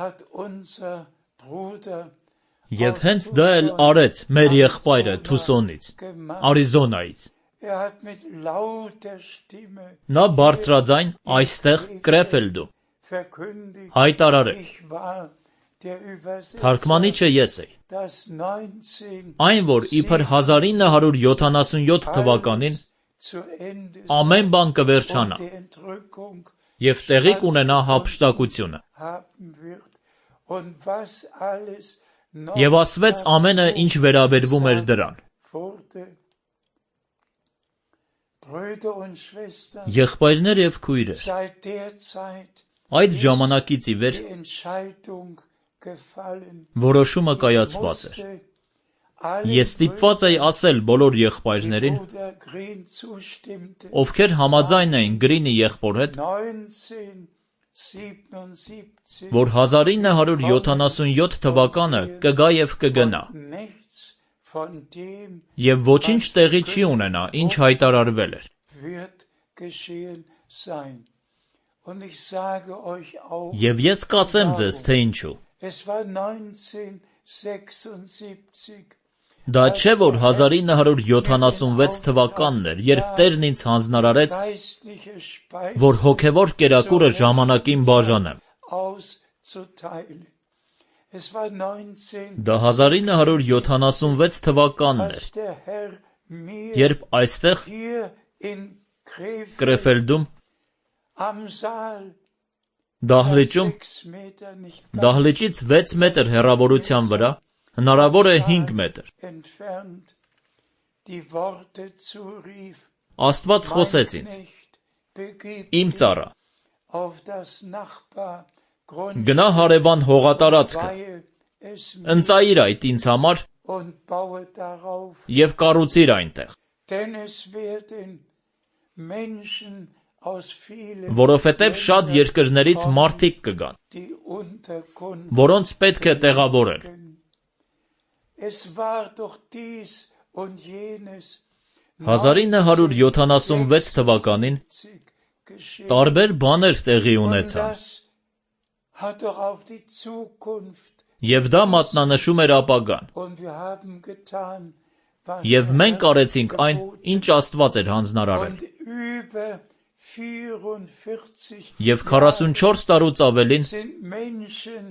hat unser Bruder Եվ հենց դա էլ արեց մեր եղբայրը Թուսոնից, Արիզոնայից։ hat mit lauter Stimme Նա բարձրաձայն այստեղ Կրեֆելդում verkündigt, հայտարարեց. ich war der Übersetzer, Թարգմանիչը ես էի։ das 19 Այն, որ իբր 1977 թվականին zu Ende ամեն բան կվերջանա die Entrückung եւ տեղի կունենա հափշտակությունը։ haben wird und was alles noch Եվ ասվեց ամենը, ինչ վերաբերվում էր դրան։ wurde. Brüder und Schwestern, Եղբայրներ եւ քույրեր, seit der Zeit այդ ժամանակից ի վեր die Entscheidung gefallen, որոշումը կայացված էր։ musste alle Ես ստիպված էի ասել բոլոր եղբայրներին, Bruder Green zustimmte, ովքեր համաձայն էին Գրինի եղբոր հետ, 1977 որ 1977 թվականը կգա եւ կգնա, nichts von dem եւ ոչինչ տեղի չի ունենա, ինչ հայտարարվել էր։ wird geschehen sein. Und ich sage euch auch, Եվ ես կասեմ ձեզ, թե ինչու։ es war 1976, Դա չէ, որ 1976 թվականն էր, երբ Տերն ինձ հանձնարարեց, geistliche Speise որ հոգևոր կերակուրը ժամանակին բաժանեմ։ auszuteilen. Es war 19, Դա 1976 թվականն էր, als der Herr mir երբ այստեղ hier in Krefeld Կրեֆելդում am Saal դահլիճում 6 Meter nicht դահլիճից 6 մետր հեռավորության վրա, հնարավոր է 5 մետր, entfernt die Worte zurief, Աստված խոսեց ինձ. Knecht, begib Իմ ծառա, auf das Nachbargrund, գնա հարևան հողատարածքը, weihe es mir ընծայիր այդ ինձ համար und baue darauf, եւ կառուցիր այնտեղ, denn es werden Menschen aus vielen որովհետեւ շատ երկրներից մարդիկ կգան, die Unterkunft. որոնց պետք է տեղավորել։ Es war doch dies und jenes 1976 թվականին geschehen. տարբեր բաներ տեղի Und ունեցան, das hat doch auf die Zukunft. եւ դա մատնանշում էր ապագան, Und wir haben getan, was եւ der մենք Herr արեցինք այն, geboten. ինչ Աստված էր հանձնարարել։ Und über 44 Եվ 44 տարուց ավելին sind Menschen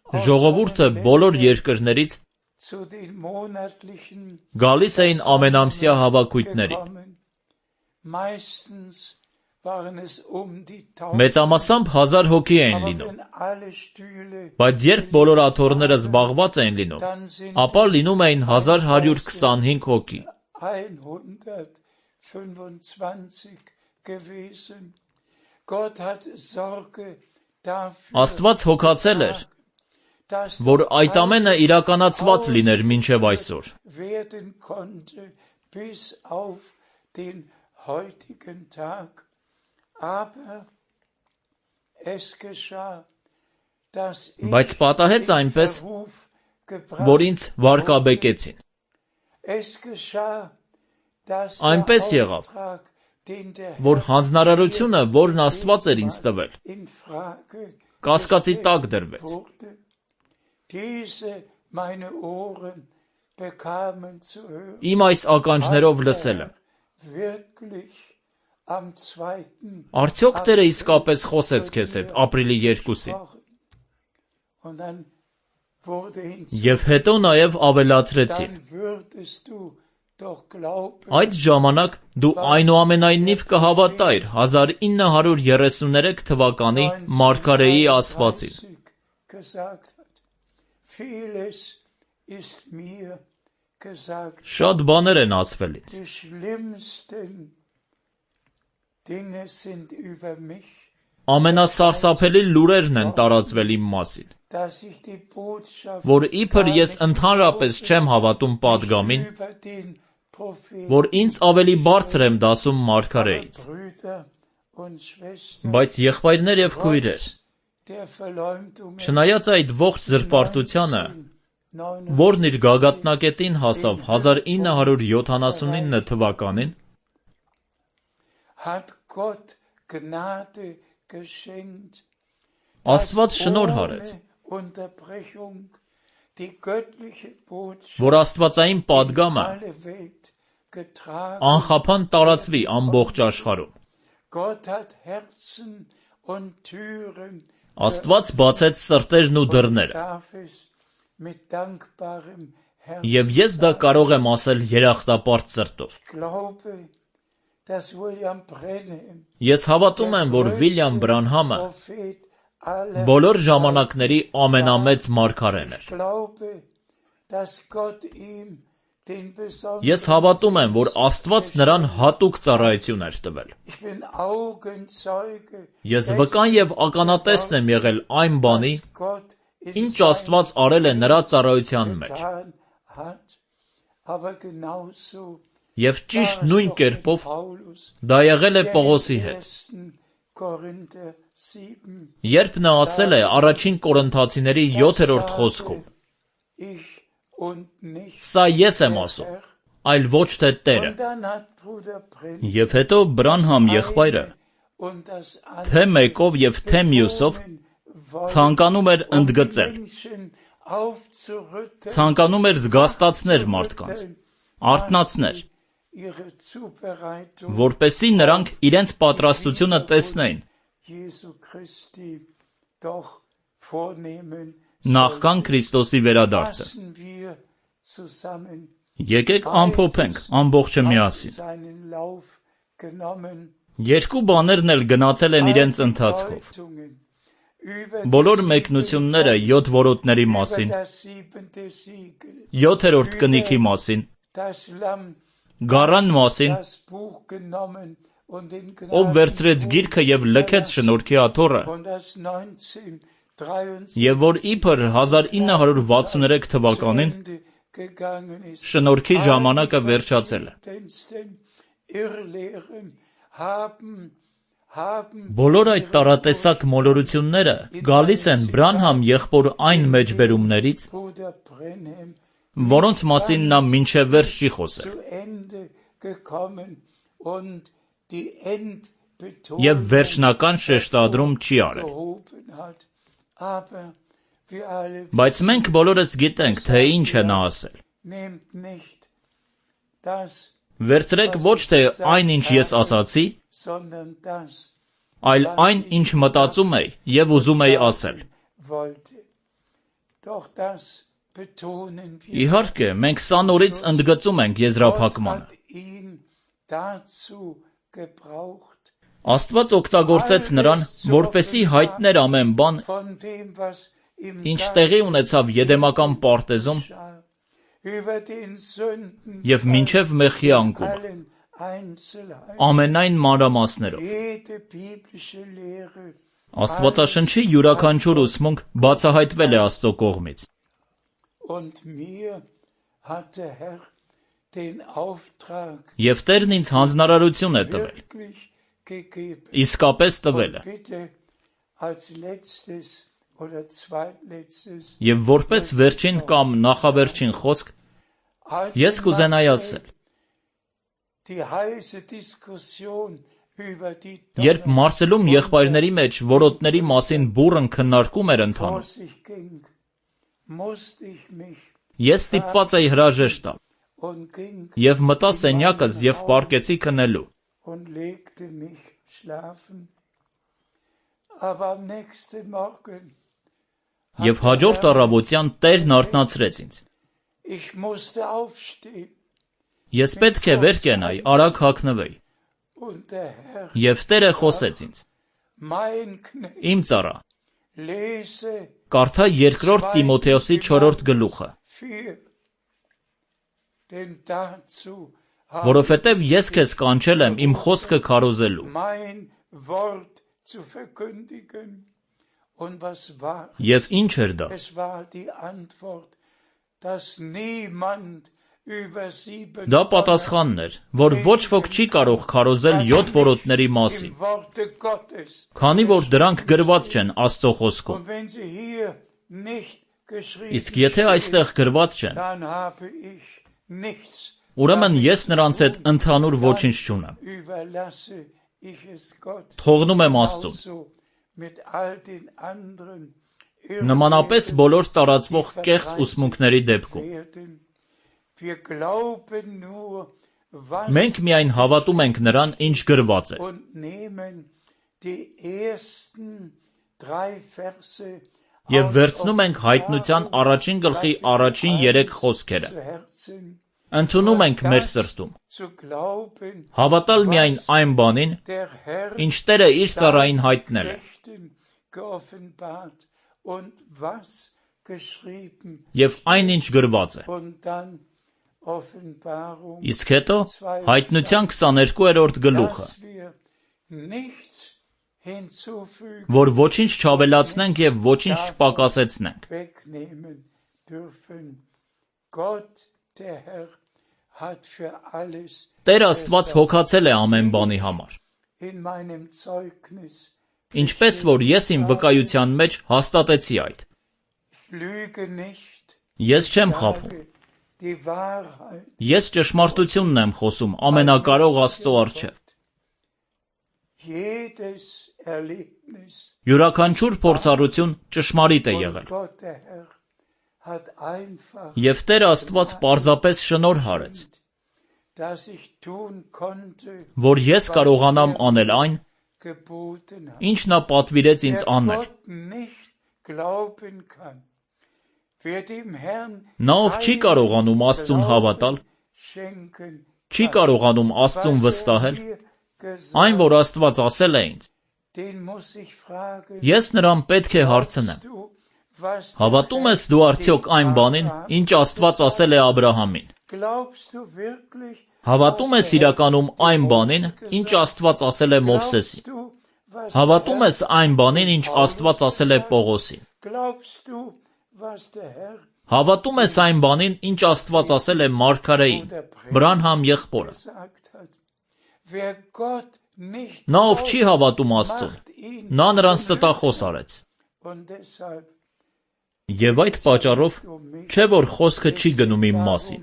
aus ժողովուրդը allen բոլոր Ländern երկրներից zu den monatlichen գալիս էին ամենամսյա հավաքույթների։ gekommen. Meistens waren es die 1000. Մեծամասամբ 1000 հոգի էին Aber լինում, wenn alle Stühle, բայց երբ բոլոր աթոռները զբաղված էին լինում, dann sind ապա լինում էին 1125 հոգի։ 125 gewesen. Gott hat Sorge dafür, Աստված հոգացել էր, dass որ das այդ ամենը alles իրականացված լիներ մինչև այսօր։ werden konnte bis auf den heutigen Tag. Aber es geschah, dass Բայց պատահեց in այնպես, Verruf որ gebracht ինձ վարկաբեկեցին։ Es geschah, dass Այնպես der եղավ, Auftrag, den der որ Herr հանձնարարությունը, որն Աստված էր ինձ տվել, in Frage կասկածի տակ gestellt դրվեց։ wurde. Diese meine Ohren bekamen zu hören, Իմ այս ականջներով լսել եմ։ wirklich am 2. Արդյոք Տերը իսկապես խոսեց քեզ հետ ապրիլի 2-ին։ gesprochen. Und dann wurde Եվ հետո նաև ավելացրեցին. dann würdest du doch glauben, Այդ ժամանակ դու այնուամենայնիվ կհավատայր 1933 թվականի Մարգարեի ասվածին։ 1930 gesagt hat. Vieles ist mir gesagt. Շատ բաներ են ասվել ինձ։ Die schlimmsten Dinge sind über mich, Ամենասարսափելի լուրերն են տարածվել իմ մասին, dass ich die Botschaft որ իբր ես ընդհանրապես չեմ հավատում պատգամին, über den Propheten, որ ինձ ավելի բարձր եմ դասում Մարգարեից։ Brüder und Schwestern, Բայց եղբայրներ եւ քույրեր, der Verleumdung չնայած այդ ողջ զրպարտությանը, որն իր գագաթնակետին հասավ 1979 թվականին, hat Gott Gnade geschenkt, Աստված շնորհ արեց, ohne Unterbrechung die göttliche Botschaft որ աստվածային պատգամը alle Welt getragen. անխափան տարածվի ամբողջ աշխարհում։ Gott hat Herzen und Türen, Աստված բացեց սրտերն ու դռները, darf es mit dankbarem Herzen. եւ ես դա կարող եմ ասել երախտապարտ սրտով։ Glaube, dass William Branham, Ես հավատում եմ, որ Վիլյամ Բրանհամը Prophet aller բոլոր ժամանակների ամենամեծ մարգարեն էր։ Glaube, dass Gott ihm den besonderen Ես հավատում եմ, որ Աստված նրան հատուկ ծառայություն էր տվել։ Ich bin Augenzeuge, Ես վկան եւ ականատեսն եմ եղել այն բանի, dass Gott in ինչ Աստված արել է նրա ծառայության մեջ։ getan hat, aber genauso Եվ ճիշտ նույն կերպով Paulus դա եղել է Պողոսի հետ։ 1. Korinther 7. Երբ նա ասել է առաջին Կորինթացիների 7-րդ խոսքում. Ich und nicht Սա ես եմ ասում, Herr. այլ ոչ թե Տերը։ Und dann hat Bruder Branham Եվ հետո Բրանհամ եղբայրը und das թե մեկով եւ թե մյուսով ցանկանում էր ընդգծել, ցանկանում էր զգաստացնել մարդկանց, արթնացնել, ihre Zubereitung որպեսզի նրանք իրենց պատրաստությունը տեսնեին Jesu Christi doch vornehmen. նախքան Քրիստոսի վերադարձը։ Fassen wir zusammen Եկեք ամփոփենք ամբողջը միասին։ seinen Lauf genommen. Երկու բաներն էլ գնացել են իրենց ընթացքով։ Deutungen über Բոլոր մեկնությունները 7 որոտների մասին, das 7. Siegel, 7-րդ կնիքի մասին, das Lamm, գառան մասին, das Buch genommen und den ով վերցրեց գիրքը եւ լքեց շնորհքի աթոռը, und das 1963 եւ որ իբր 1963 թվականին Ende gegangen ist. շնորհքի ժամանակը վերջացել է։ Irrlehren haben Բոլոր այդ տարատեսակ մոլորությունները գալիս են Բրանհամ եղբոր այն մեջբերումներից, Bruder Branham որոնց մասին նա մինչև վերջ չի խոսել, zu Ende gekommen und die Endbetonung եւ վերջնական շեշտադրում չի արել։ gehoben hat. Aber wir alle Բայց մենք բոլորս գիտենք, թե ինչ է նա ասել։ nehmt nicht das, Վերցրեք ոչ թե այն, ինչ ես ասացի, sondern das այլ այն, ինչ մտածում էի եւ ուզում էի ասել։ wollte. Doch das betonen wir. Իհարկե, մենք սա նորից ընդգծում ենք Gott եզրափակմանը։ hat ihn dazu gebraucht, Աստված օգտագործեց նրան, որպեսզի հայտներ ամեն բան, von dem, was im ինչ տեղի ունեցավ Եդեմական պարտեզում Garten über den Sünden եւ մինչև մեղքի անկումը, allen Einzelheiten, ամենայն մանրամասներով։ jede biblische Lehre Աստվածաշնչի յուրաքանչյուր ուսմունք բացահայտվել է Աստծո կողմից։ und mir hat der Herr den Auftrag Եվ Տերն ինձ հանձնարարություն է տվել, wirklich gegeben. իսկապես տվել է։ Bitte als letztes oder zweitletztes, Եվ որպես վերջին կամ նախավերջին խոսք, als ես կուզենայի Marcel ասել, die heiße Diskussion über die երբ Մարսելում եղբայրների մեջ որոտների մասին բուռն քննարկում էր ընթանում, vor sich ging, musste ich mich Ես ստիպված էի հրաժեշտ տալ und ging եւ մտա սենյակս եւ պառկեցի քնելու։ und legte mich schlafen. Aber am nächsten Morgen Եվ հաջորդ առավոտյան Տերն արթնացրեց ինձ։ ich musste aufstehen Ես պետք է վեր կենայի, արագ հագնվեի։ und der Herr, Եվ Տերը խոսեց ինձ. mein Knecht, Իմ ծառա, lese կարդա 2 Տիմոթեոսի 4 գլուխը, 4. Denn dazu որովհետև ես քեզ կանչել եմ իմ խոսքը քարոզելու։ mein Wort zu verkündigen. Und was war? Եվ ինչ էր դա։ Es war die Antwort, dass niemand über 7 Դա պատասխանն էր, որ ոչ ոք չի կարող քարոզել 7 որոտների մասին, im Worte Gottes. քանի որ դրանք գրված չեն Աստծո խոսքում։ Und wenn sie hier nicht geschrieben Իսկ եթե այստեղ գրված չեն, dann habe ich nichts. ուրեմն ես նրանց հետ ընդհանուր ոչինչ չունեմ։ Überlasse ich es Gott. Թողնում եմ Աստծուն։ Also mit all den anderen Նմանապես բոլոր տարածվող կեղծ ուսմունքների դեպքում։ werden. Wir glauben nur, was Մենք միայն հավատում ենք նրան, ինչ գրված է, und nehmen die ersten 3 Verse եւ վերցնում ենք հայտնության առաջին գլխի առաջին 3 խոսքերը։ zu Herzen, Ընդունում ենք մեր սրտում։ zu glauben, Հավատալ միայն այն բանին, der Herr ինչ Տերը իր ծառային հայտնել է, Knechten geoffenbart und was geschrieben եւ այն ինչ գրված է։ und dann Offenbarung, Իսկ հետո հայտնության 22-րդ գլուխը, dass wir nichts hinzufügen, որ ոչինչ չավելացնենք եւ ոչինչ չպակասեցնենք։ wegnehmen dürfen. Gott, der Herr, hat für alles Տեր Աստված հոգացել է ամեն բանի համար։ in meinem Zeugnis. Ինչպես որ ես իմ վկայության մեջ հաստատեցի այդ։ Ich lüge nicht, Ես չեմ խաբում։ sage die Wahrheit. Ես ճշմարտությունն եմ խոսում ամենակարող Աստծո առջև։ Jedes Erlebnis Յուրաքանչյուր փորձառություն ճշմարիտ է und եղել։ Gott, der Herr, hat einfach Եվ Տերը Աստված պարզապես շնորհ հարեց, dass ich tun konnte, որ ես կարողանամ անել այն, geboten hat. ինչ նա պատվիրեց ինձ Wer անել։ Gott nicht glauben kann, wer dem Herrn Նա ով չի կարողանում Աստծուն հավատալ, schenken, չի կարողանում Աստծուն վստահել, mir gesagt, այն որ Աստված ասել է ինձ, den muss ich fragen, ես նրան պետք է հարցնեմ. du, was der Հավատում ես Herr դու արդյոք այն բանին, ինչ Աստված ասել է Աբրահամին։ glaubst du wirklich, Հավատում ես իրականում այն բանին, ինչ Աստված ասել է Մովսեսին։ glaubst du, was Հավատում ես այն բանին, ինչ Աստված ասել է Պողոսին։ glaubst du, was der Herr Հավատում ես այն բանին, ինչ Աստված ասել է Մարգարեին, Բրանհամ եղբորը։ gesagt hat. Wer Gott nicht Նա ով չի հավատում Աստծուն, macht ihn նա նրան ստախոս արեց։ und deshalb Եվ այդ պատճառով չէ որ խոսքը չի գնում իմ մասին,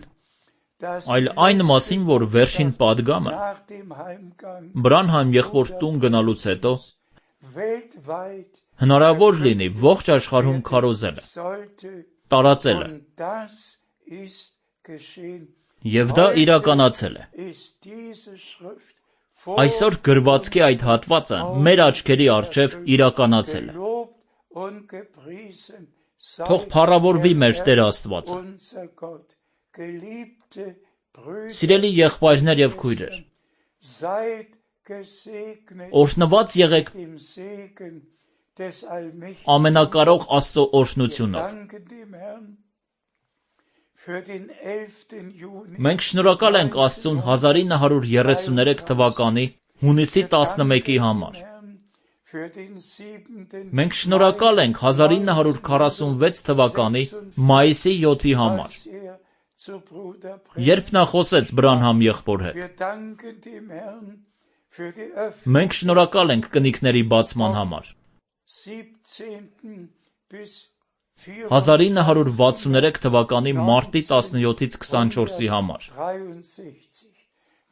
dass այլ այն մասին, որ վերջին падգամը nach dem Heimgang Բրանհամ եղբոր տուն գնալուց հետո weltweit հնարավոր լինի ողջ աշխարհում քարոզելը, sollte տարածելը, und das ist geschehen. եւ դա իրականացել է։ Ist diese Schrift Այսօր գրվածքի այդ հատվածը մեր աչքերի առջև իրականացել է։ gelobt und gepriesen sei Թող փառավորվի մեր der Տեր Herr, Աստվածը։ unser Gott. Geliebte Brüder, Սիրելի եղբայրներ եւ քույրեր, seid gesegnet օրհնված եղեք dem Segen des Allmächtigen. ամենակարող Աստծո օրհնությունով։ Danke dem Herrn für den 11. Juni. Մենք շնորհակալ ենք Աստծուն 1933 թվականի հունիսի 11-ի համար։ Herrn für den 7. Մենք շնորհակալ ենք 1946 թվականի մայիսի 7-ի համար, als zu Bruder երբ նա խոսեց Բրանհամ եղբոր հետ։ Wir danken dem Herrn für die Մենք շնորհակալ ենք կնիկների բացման համար։ 17. bis 1963 թվականի մարտի 17-ից 24-ի համար։ 63.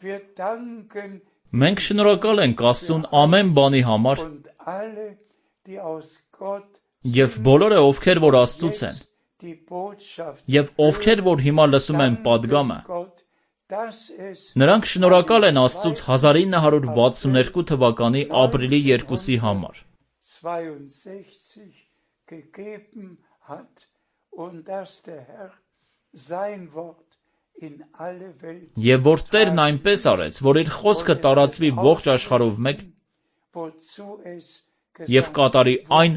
Wir danken Մենք շնորհակալ ենք Աստծուն ամեն բանի համար und alle, die aus Gott եւ բոլորը ովքեր որ Աստծուց են, die Botschaft Եվ ովքեր որ հիմա լսում են պատգամը, Gott, dass es նրանք շնորհակալ են Աստծուց 1962 թվականի ապրիլի 2-ի համար, 62 gegeben hat und dass der Herr sein Wort in alle Welt եւ որ Տերն այնպես արեց, որ իր խոսքը տարածվի ողջ աշխարհով մեկ wozu es եւ կատարի այն,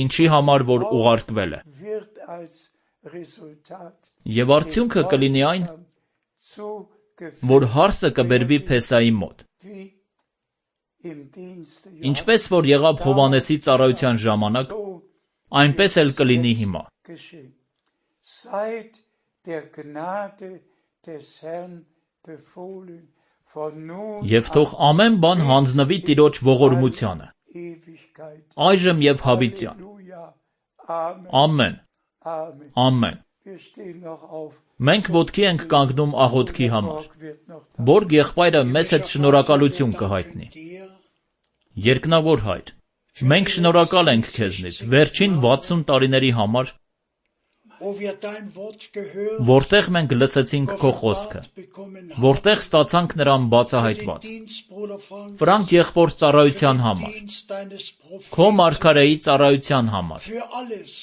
ինչի համար որ ուղարկվել է։ wird als Resultat Եվ արդյունքը կլինի այն, zu որ հարսը կբերվի Փեսայի մոտ, wie im Dienste ինչպես որ եղավ Հովանեսի ծառայության ժամանակ, այնպես էլ կլինի հիմա։ geschehen. Seid der Gnade des Herrn befohlen, von nun Եվ թող ամեն բան հանձնվի Տիրոջ ողորմությանը, Ewigkeit. այժմ եւ հավիտյան։ Halleluja. Amen. Ամեն, Amen. ամեն։ Wir stehen noch auf. Մենք ոտքի ենք կանգնում աղոթքի համար։ Borg wird noch da. Բորգ եղբայրը մեծ հետ շնորհակալություն կհայտնի։ dir, Երկնավոր Հայր, մենք շնորհակալ ենք քեզնից վերջին 60 տարիների համար, wo wir dein Wort gehört, որտեղ մենք լսեցինք քո խոսքը, bekommen որտեղ ստացանք նրան բացահայտված։ Dienstbruder Frank, Ֆրանկ եղբոր ծառայության համար, Dienst deines Propheten, քո մարգարեի ծառայության համար, für alles,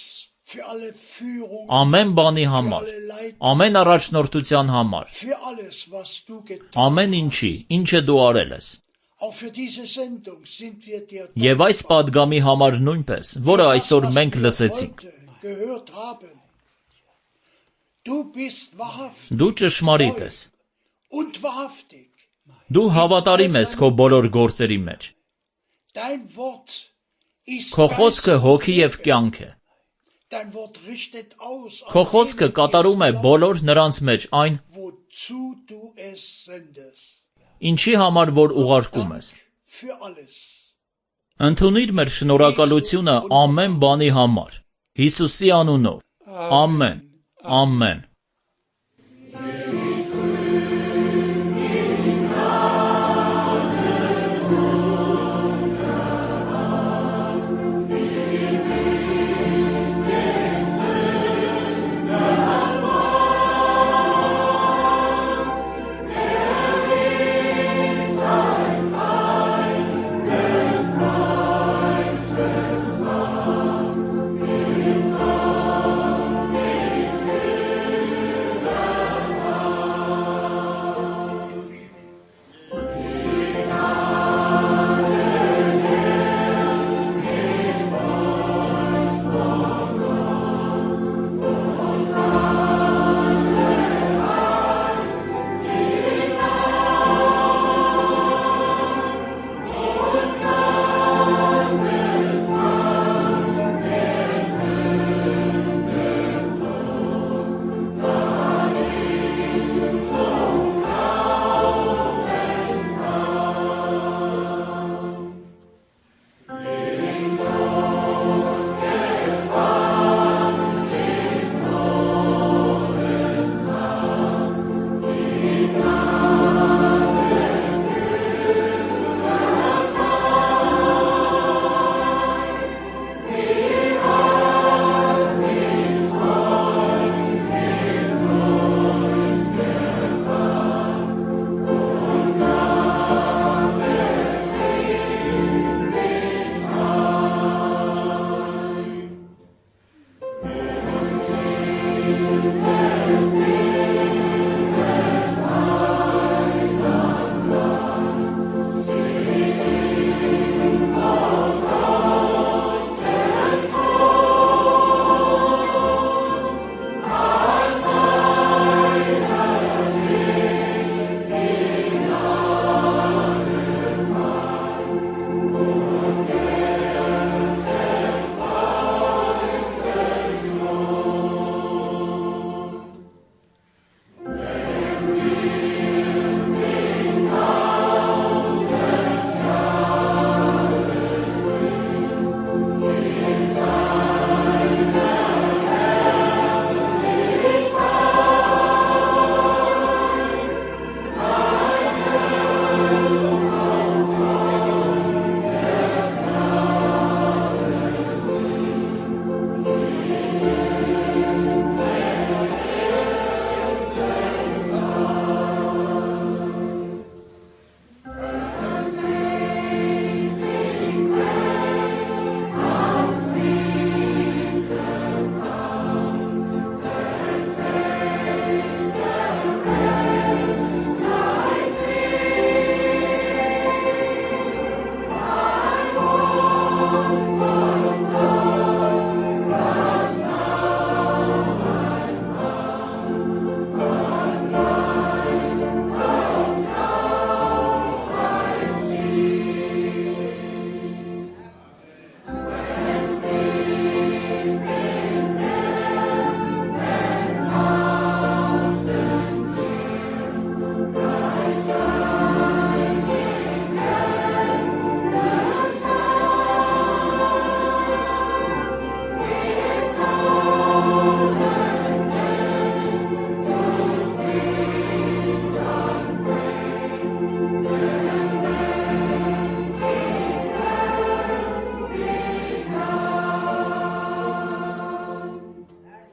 für alle Führung, ամեն բանի համար, alle Leitung, ամեն առաջնորդության համար, für alles, was du getan ամեն ինչի, ինչը դու արել ես։ Auch für diese Sendung sind wir dir Եվ այս պատգամի համար նույնպես, որը այսօր մենք լսեցինք։ heute gehört haben. Du bist wahrhaftig Դու ճշմարիտ ես։ und wahrhaftig. Դու հավատարիմ ես քո բոլոր գործերի մեջ։ Dein Wort ist Քո Geist խոսքը und հոգի եւ Leben. կյանք է։ Dein Wort richtet aus an Քո խոսքը denen, die կատարում է es բոլոր նրանց մեջ այն, wozu du es sendest. ինչի համար որ ուղարկում ես։ Für alles. Ընդունիր մեր շնորհակալությունը ամեն բանի համար։ Հիսուսի անունով։ Ամեն։ Ամեն։